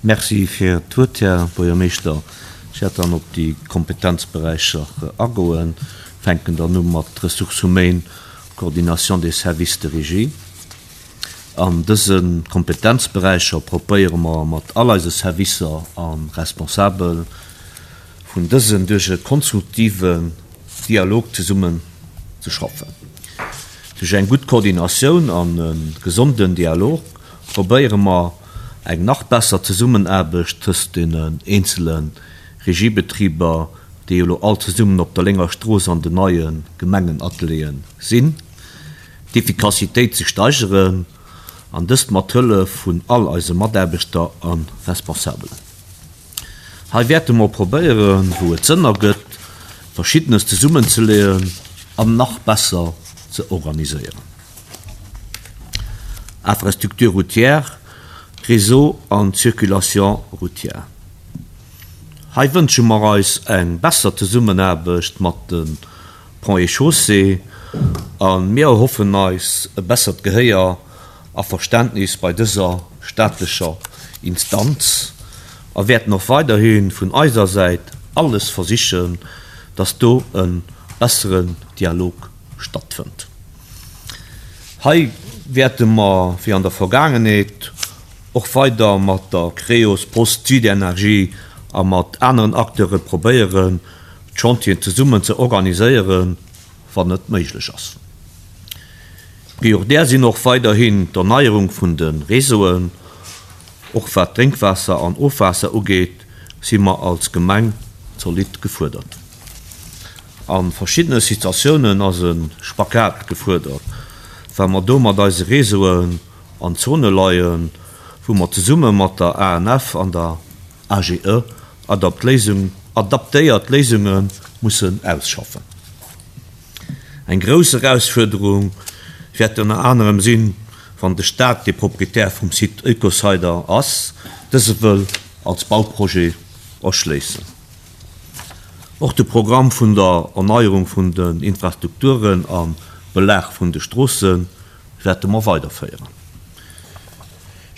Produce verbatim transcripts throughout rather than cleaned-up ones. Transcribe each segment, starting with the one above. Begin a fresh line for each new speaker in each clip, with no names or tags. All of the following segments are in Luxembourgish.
Merci fir d'Wuert, Här Buergermeeschter. Ech wäert dann op déi Kompetenzberäicher agoen. Fänken dann u mat Ressources humaines, Coordination des services de régie. An dëse Kompetenzberäicher probéiere mer mat all eise Servicer a Responsabel vun dësen duerch e konstruktiven Dialog zesummen ze schaffen. Duerch eng gutt Koordinatioun an e gesonden Dialog probéiere mer eng nach besser Zesummenaarbecht tëscht den eenzele Regiebetriber, déi elo all zesummen op der Lénger Strooss an den neie Gemengenatelieren sinn, d'Effikassitéit ze steigeren an dëst mat Hëllef vun all eise Mataarbechter a Responsabelen. Hei wäerte mer probéieren, wou et Sënn ergëtt, Verschiddenes zesummenzeleeën an nach besser ze organiséieren. Infrastructure routière, Réseau an Circulation routière. Hei wënsche mer eis eng besser Zesummenaarbecht mat de Ponts et Chaussées a mir erhoffen eis e bessert Gehéier a Verständnis bei dëser staatlecher Instanz a wäerten och weiderhi vun eiser Säit alles versichen, dass do e besseren Dialog stattfënnt. Hei wäerte mer, wéi an der Vergaangenheet, och weider mat der Creos, Post, Südenergie a mat aneren Acteure probéieren, d'Chantieren zesummen ze organiséieren, wann et méiglech ass. Prioritär sinn och weiderhin d'Erneierung vun de Réseauen. Och wat Drénkwaasser an Ofwaasser ugeet, si mer als Gemeng zolidd gefuerdert. A verschiddene Situatiounen ass e Spagat gefuerdert, well mer do mat eise Réseauen an Zone leien, wou mer zesumme mat der A N F an der A G E adaptéiert Léisunge mussen ausschaffen. Eng grouss Erausfuerderung wäert ënner anerem sinn, wann de Staat, dee Proprietär vum Site Oekocider ass, dëse wëll als Bauprojet erschléissen. Och de Programm vun der Erneierung vun den Infrastrukturen a Belag vun de Stroosse wäerte mer weiderféieren.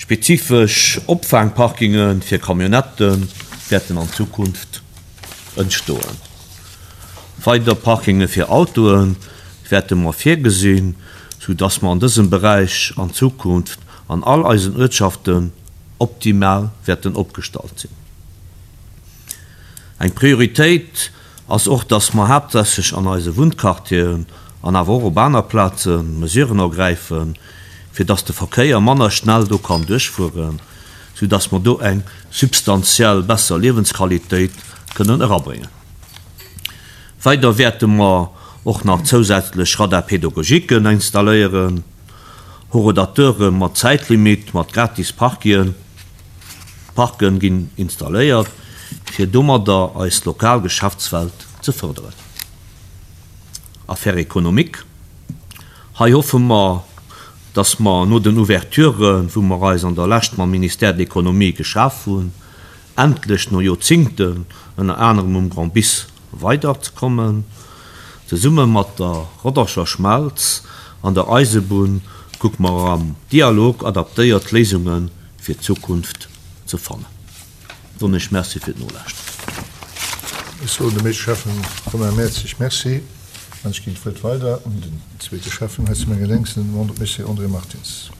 Spezifesch Opfaangparkinge fir Camionnettë wäerten an Zukunft entstoen. Weider Parkinge fir Autoe wäerte mer virgesinn, sou dass mer an dësem Beräich an Zukunft an all eisen Uertschaften optimal wäerten opgestallt sinn. Eng Prioritéit ass och, dass mer haaptsächlech an eise Wunnquartieren an awer och op aner Plaze Mesuren ergräifen, fir dass de Verkéier manner schnell do kann duerchfueren, sou dass mer do eng substantiell besser Liewensqualitéit kënnen erabréngen. Weider wäerte mer och nach zousätzlech Radar-pédagogiquen installéieren, Horodateure mat Zäitlimit mat gratis Parkien, Parken ginn installéiert, fir domadder eis lokal Geschäftswelt ze fërderen. Affaires économiques. Hei hoffe mer, dass mer no den Ouverturen, wou mer eis an der Lescht mam Ministère de l'Économie geschaf hunn, endlech no Joerzéngten ënner anerem um Grand Bis weiderzekommen. Zesumme mat der Roddercher Schmelz an der Eisebunn kucke mer am Dialog adaptéiert Léisunge fir d'Zukunft ze fannen. Soen ech Merci fir d'Nolauschteren.
Ech soen dem éischte Schäffen Romain Mertzig Merci an ech ginn d'Wuert weider un den zweete Schäffen hei zu menge Lénks, den Monsieur André Martins.